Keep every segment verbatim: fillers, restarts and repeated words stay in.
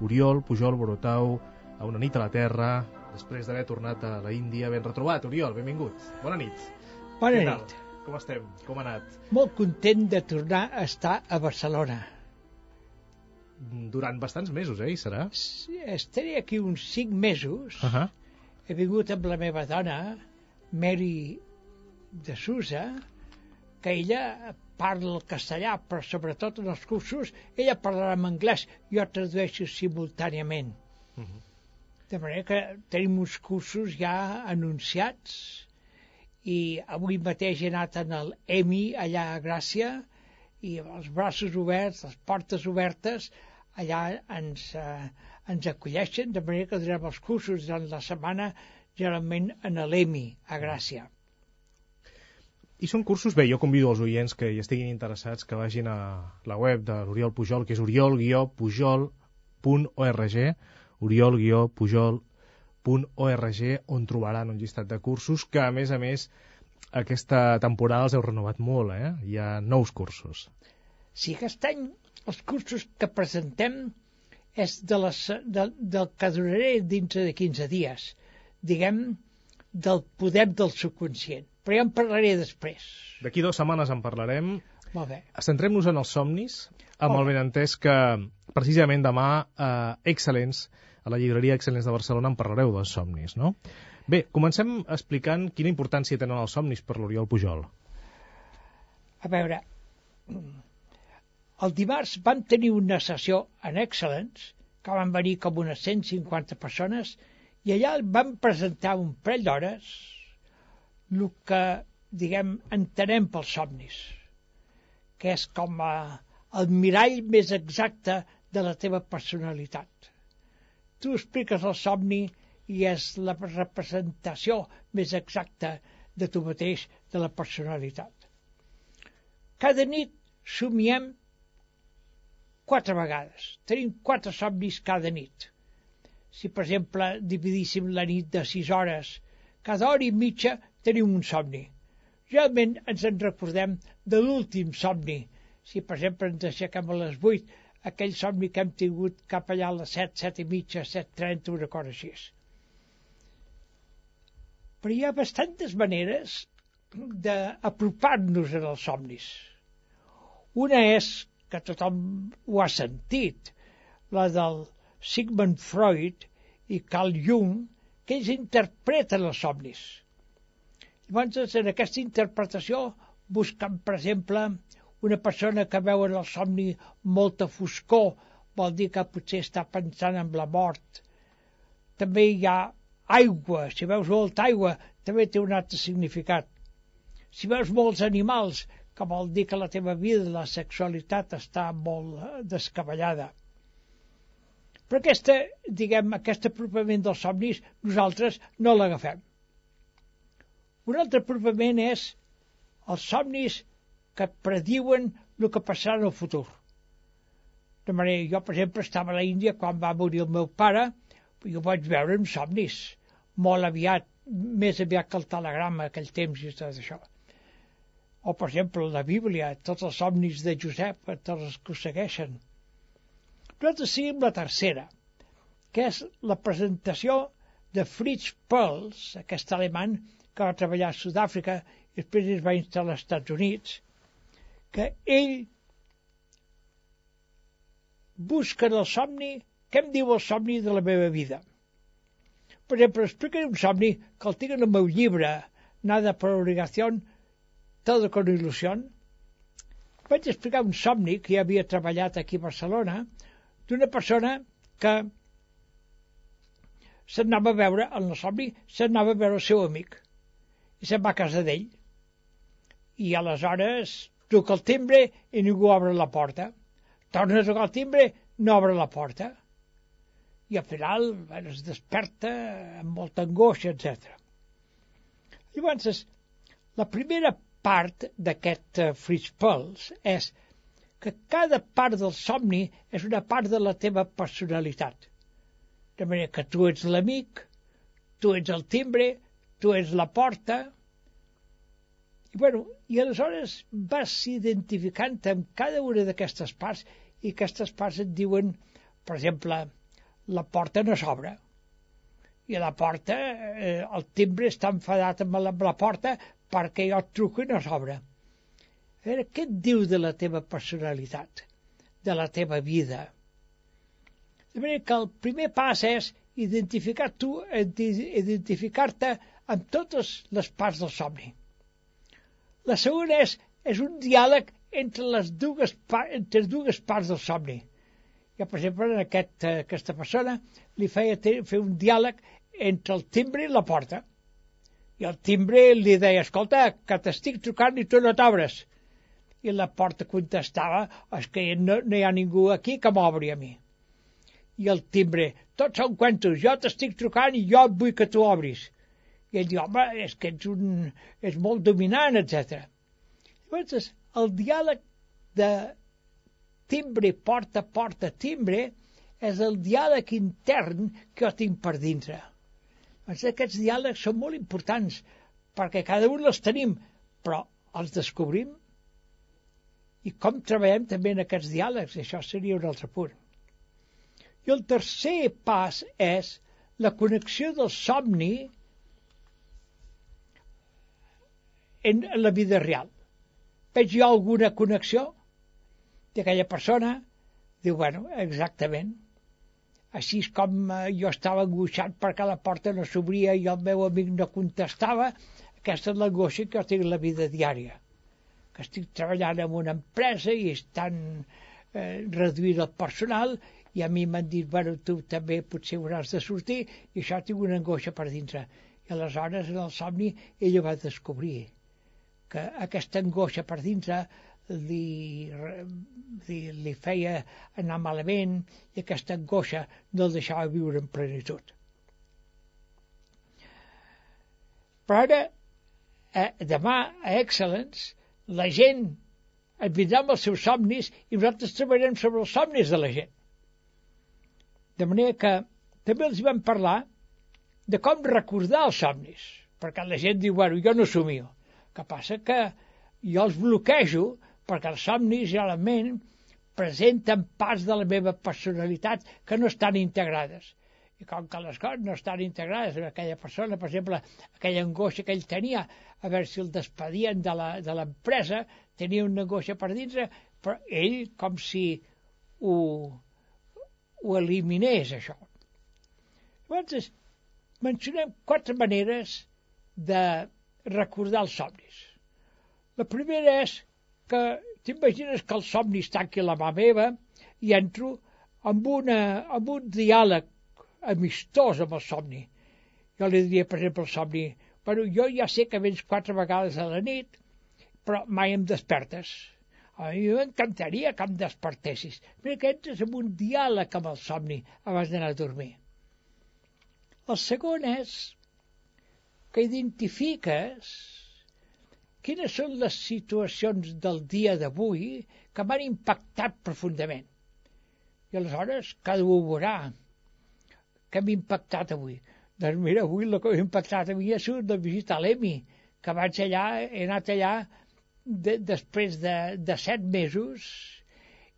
Oriol Pujol Borotau, a Una nit a la Terra, després d'haver tornat a la Índia. Ben retrobat, Oriol, benvingut. Bona nit. Bona nit. Com estem? Com ha anat? Molt content de tornar a estar a Barcelona. Durant bastants mesos, eh, hi serà? Estaré aquí uns cinc mesos. Uh -huh. He vingut amb la meva dona, Mary de Sousa, que ella parla el castellà, però sobretot en els cursos ella parlarà en anglès, jo tradueixo simultàniament. Uh -huh. De manera que tenim uns cursos ja anunciats, i avui mateix he anat en el E M I allà a Gràcia, i amb els braços oberts, les portes obertes, allà ens, eh, ens acolleixen, de manera que durant els cursos durant la setmana, generalment en l'E M I a Gràcia. I són cursos, bé, jo convido els oients que hi estiguin interessats que vagin a la web de l'Oriol Pujol, que és oriol guió pujol punt org, oriol guió pujol punt org, on trobaran un llistat de cursos que, a més a més, aquesta temporada els heu renovat molt, eh? Hi ha nous cursos. Sí, aquest any els cursos que presentem és de les, de, del que duraré dintre de quinze dies, diguem, del poder del subconscient. Però ja en parlaré després. D'aquí dues setmanes en parlarem. Molt bé. Centrem-nos en els somnis, amb Molt el benentès que precisament demà a Excel·lents, a la llibreria Excel·lents de Barcelona, en parlareu dels somnis, no? Bé, comencem explicant quina importància tenen els somnis per l'Oriol Pujol. A veure, el dimarts vam tenir una sessió en Excel·lents, que van venir com unes cent cinquanta persones, i allà vam presentar un parell d'hores el que, diguem, entenem pels somnis, que és com a, el mirall més exacte de la teva personalitat. Tu expliques el somni i és la representació més exacta de tu mateix, de la personalitat. Cada nit somiem quatre vegades. Tenim quatre somnis cada nit. Si, per exemple, dividíssim la nit de sis hores, cada hora i mitja tenim un somni. Realment ens en recordem de l'últim somni. Si, per exemple, ens aixequem a les vuit, aquell somni que hem tingut cap allà a les set, set i mitja, set trenta, una cosa així. Però hi ha bastantes maneres d'apropar-nos en els somnis. Una és, que tothom ho ha sentit, la del Sigmund Freud i Carl Jung, que ells interpreten els somnis. Llavors, en aquesta interpretació, busquen, per exemple, una persona que veu en el somni molta foscor, vol dir que potser està pensant en la mort. També hi ha aigua, si veus molta aigua, també té un altre significat. Si veus molts animals, que vol dir que la teva vida, la sexualitat, està molt descabellada. Però aquesta, diguem, aquest apropament dels somnis, nosaltres no l'agafem. Un altre apropament és els somnis que prediuen el que passarà en el futur. De manera, jo, per exemple, estava a l'Índia quan va morir el meu pare, i ho vaig veure en somnis, molt aviat, més aviat que el telegrama, aquell temps i tot això. O, per exemple, la Bíblia, tots els somnis de Josep, tots els que ho segueixen. Nosaltres seguim la tercera, que és la presentació de Fritz Perls, aquest alemany que va treballar a Sud-àfrica i després es va instal·lar als Estats Units, que ell busca en el somni, què em diu el somni de la meva vida? Per exemple, explicaré un somni que el tinc en el meu llibre, Nada por obligación, Todo con ilusión. Vaig explicar un somni que ja havia treballat aquí a Barcelona, d'una persona que s'anava a veure, en el somni, s'anava a veure el seu amic, i se'n va a casa d'ell. I aleshores truca el timbre i ningú obre la porta. Torna a trucar el timbre, no obre la porta. I al final bueno, es desperta amb molta angoixa, etcètera. Llavors, la primera part d'aquest uh, Fritz Perls és que cada part del somni és una part de la teva personalitat. De manera que tu ets l'amic, tu ets el timbre, tu ets la porta. I, bueno, i aleshores vas identificant amb cada una d'aquestes parts i aquestes parts et diuen, per exemple, la porta no s'obre. I la porta, eh, el timbre està enfadat amb la, amb la porta perquè jo et truco i no s'obre. A veure, què et diu de la teva personalitat, de la teva vida? De manera que el primer pas és identificar tu, identificar-te amb totes les parts del somni. La segona és, és un diàleg entre les dues, entre dues parts del somni. Jo, per exemple, en aquest, aquesta persona li feia fer un diàleg entre el timbre i la porta. I el timbre li deia, escolta, que t'estic trucant i tu no t'obres. I la porta contestava, és que no, no hi ha ningú aquí que m'obri a mi. I el timbre, tots són cuentos, jo t'estic trucant i jo vull que tu obris. I ell diu, home, és que ets, un, és molt dominant, etcètera. Llavors, el diàleg de timbre, porta, porta, timbre, és el diàleg intern que jo tinc per dintre. Doncs aquests diàlegs són molt importants, perquè cada un els tenim, però els descobrim. I com treballem també en aquests diàlegs, això seria un altre punt. I el tercer pas és la connexió del somni en la vida real. Veig jo alguna connexió d'aquella persona? Diu, bueno, exactament. Així és com jo estava angoixat perquè la porta no s'obria i el meu amic no contestava. Aquesta és l'angoixa que jo tinc en la vida diària. Que estic treballant en una empresa i estan eh, reduint el personal i a mi m'han dit, bueno, tu també potser hauràs de sortir i això tinc una angoixa per dintre. I aleshores en el somni ella va descobrir que aquesta angoixa per dintre li, li, li feia anar malament i aquesta angoixa no el deixava viure en plenitud. Però ara, eh, demà a Excellence, la gent et vindrà amb els seus somnis i nosaltres treballarem sobre els somnis de la gent. De manera que també els vam parlar de com recordar els somnis, perquè la gent diu, bueno, jo no somio. El que passa que jo els bloquejo perquè els somnis realment presenten parts de la meva personalitat que no estan integrades. I com que les coses no estan integrades en aquella persona, per exemple, aquella angoixa que ell tenia, a veure si el despedien de la, de l'empresa, tenia una angoixa per dintre, però ell com si ho, ho eliminés, això. Llavors, mencionem quatre maneres de recordar els somnis. La primera és que t'imagines que el somni està aquí a la mà meva i entro amb, una, amb un diàleg amistós amb el somni. Jo li diria, per exemple, al somni, bueno, jo ja sé que vens quatre vegades a la nit, però mai em despertes. A mi m'encantaria que em despertessis. Mira que entres en un diàleg amb el somni abans d'anar a dormir. El segon és que identifiques quines són les situacions del dia d'avui que m'han impactat profundament. I aleshores cada un veurà què m'ha impactat avui. Doncs mira, avui el que m'ha impactat a mi ha sigut la visita a l'Emi, que vaig allà, he anat allà de, després de, de set mesos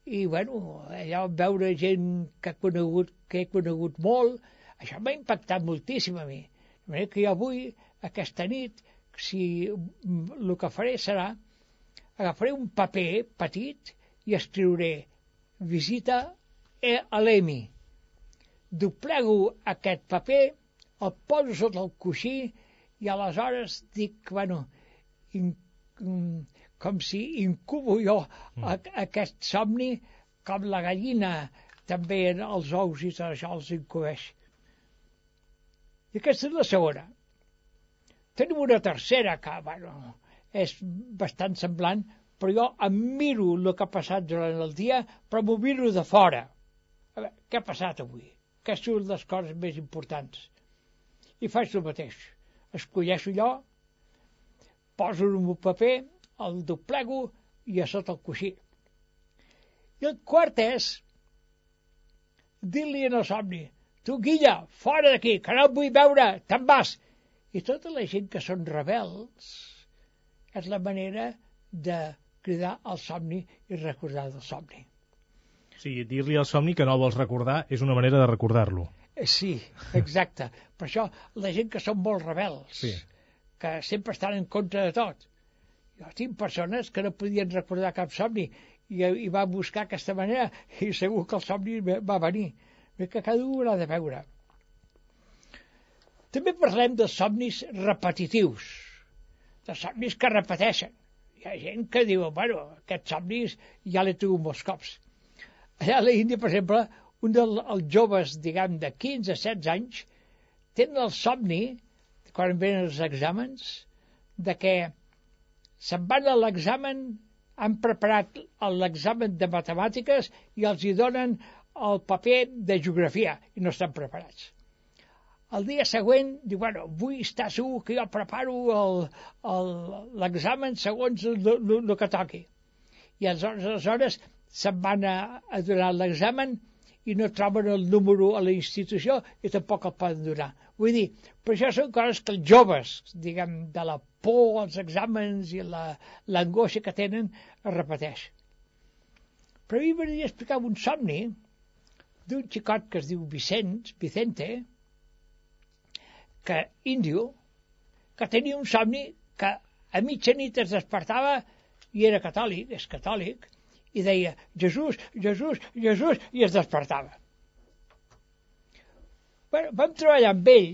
i, bueno, allà veure gent que he conegut, que he conegut molt, això m'ha impactat moltíssim a mi. De manera que jo avui, aquesta nit, si el que faré serà agafaré un paper petit i escriuré visita a l'Emi. Doblego aquest paper, el poso sota el coixí i aleshores dic, bueno, in, com si incubo jo mm. aquest somni com la gallina també els ous i tot això els incubeix. I aquesta és la segona. Tenim una tercera que, bueno, és bastant semblant, però jo em miro el que ha passat durant el dia, però m'ho miro de fora. A veure, què ha passat avui? Què són les coses més importants? I faig el mateix. Escolleixo allò, poso en un paper, el doblego i a sota el coixí. I el quart és dir-li en el somni, tu, Guilla, fora d'aquí, que no et vull veure, te'n vas. I tota la gent que són rebels és la manera de cridar al somni i recordar del somni. O sigui, dir-li al somni que no el vols recordar és una manera de recordar-lo. Sí, exacte. Per això la gent que són molt rebels, sí. que sempre estan en contra de tot. Jo tinc persones que no podien recordar cap somni i, i va buscar aquesta manera i segur que el somni va venir. Bé que cada un l'ha de veure. També parlem dels somnis repetitius, dels somnis que repeteixen. Hi ha gent que diu, bueno, aquests somnis ja l'he tingut molts cops. Allà a l'Índia, per exemple, un dels joves, diguem, de quinze a setze anys, tenen el somni, quan venen els exàmens, de que se'n van a l'examen, han preparat l'examen de matemàtiques i els hi donen el paper de geografia i no estan preparats. El dia següent diu, bueno, vull estar segur que jo preparo l'examen segons el que toqui. I aleshores se'n van a, a donar l'examen i no troben el número a la institució i tampoc el poden donar. Vull dir, per això són coses que els joves, diguem, de la por als exàmens i l'angoixa que tenen, es repeteix. Però a mi m'agradaria explicar un somni d'un xicot que es diu Vicent, Vicente, que índio, que tenia un somni que a mitjanit es despertava i era catòlic, és catòlic, i deia Jesús, Jesús, Jesús, i es despertava. Bueno, vam treballar amb ell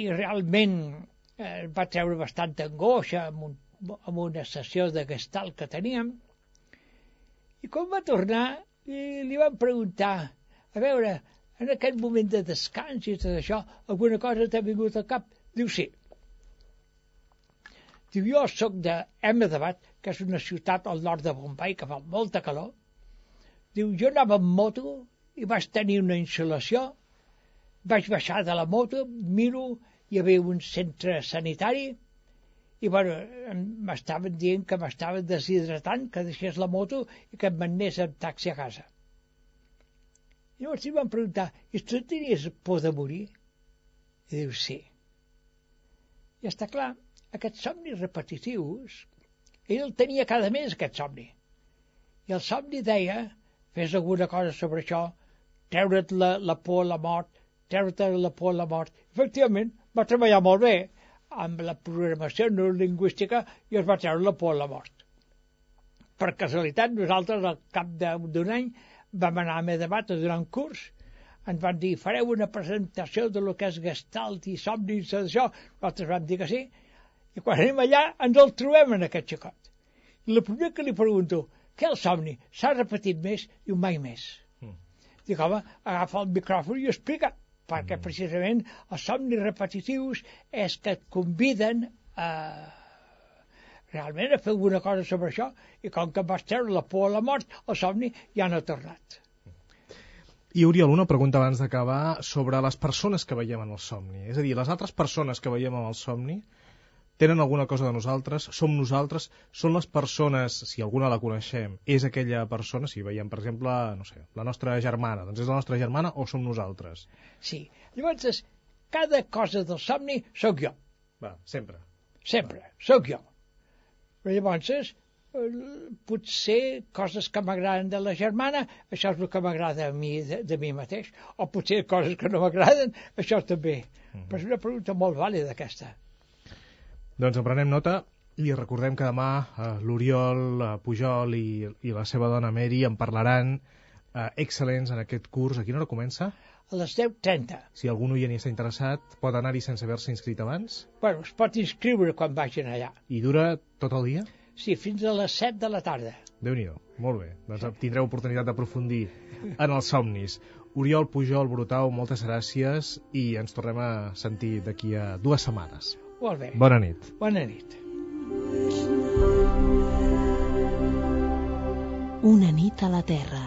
i realment eh, va treure bastanta angoixa amb, un, amb una sessió de gestalt que teníem, i quan va tornar li, li vam preguntar, a veure, en aquest moment de descans i tot això, alguna cosa t'ha vingut al cap? Diu, sí. Diu, jo soc d'Ahmedabad, que és una ciutat al nord de Bombay, que fa molta calor. Diu, jo anava amb moto i vaig tenir una insolació, vaig baixar de la moto, miro, hi havia un centre sanitari, i bueno, m'estaven dient que m'estaven deshidratant, que deixés la moto i que em manés en taxi a casa. I llavors li van preguntar, i tu tenies por de morir? I diu, sí. I està clar, aquests somnis repetitius, ell el tenia cada mes, aquest somni. I el somni deia, fes alguna cosa sobre això, treure't la, la por a la mort, treure't la por a la mort. Efectivament, va treballar molt bé amb la programació neurolingüística i es va treure la por a la mort. Per casualitat, nosaltres, al cap d'un any, vam anar a Ahmedabad a donar un curs, ens van dir, fareu una presentació de lo que és gestalt i somnis i això, nosaltres vam dir que sí, i quan anem allà ens el trobem en aquest xicot. I el primer que li pregunto, què el somni? S'ha repetit més? Diu, mai més. Mm. Dic, home, agafa el micròfon i explica, perquè mm. precisament els somnis repetitius és que et conviden a realment a fer alguna cosa sobre això, i com que vas treure la por a la mort, el somni ja no ha tornat. I Oriol, una pregunta abans d'acabar sobre les persones que veiem en el somni. És a dir, les altres persones que veiem en el somni tenen alguna cosa de nosaltres, som nosaltres, són les persones, si alguna la coneixem, és aquella persona, si veiem, per exemple, no sé, la nostra germana, doncs és la nostra germana o som nosaltres? Sí, llavors cada cosa del somni sóc jo. Va, sempre. Sempre, Va. sóc jo. Però llavors, potser coses que m'agraden de la germana, això és el que m'agrada a mi de, de mi mateix, o potser coses que no m'agraden, això també. Mm-hmm. Però és una pregunta molt vàlida aquesta. Doncs en prenem nota i recordem que demà eh, l'Oriol eh, Pujol i, i la seva dona Mary en parlaran eh, excel·lents en aquest curs. A quina hora comença? A les deu trenta. Si algun oient hi està interessat, pot anar-hi sense haver-se inscrit abans? Bueno, es pot inscriure quan vagin allà. I dura tot el dia? Sí, fins a les set de la tarda. Déu-n'hi-do, molt bé. Doncs tindreu oportunitat d'aprofundir en els somnis. Oriol Pujol Brutau, moltes gràcies i ens tornem a sentir d'aquí a dues setmanes. Molt bé. Bona nit. Bona nit. Una nit a la Terra.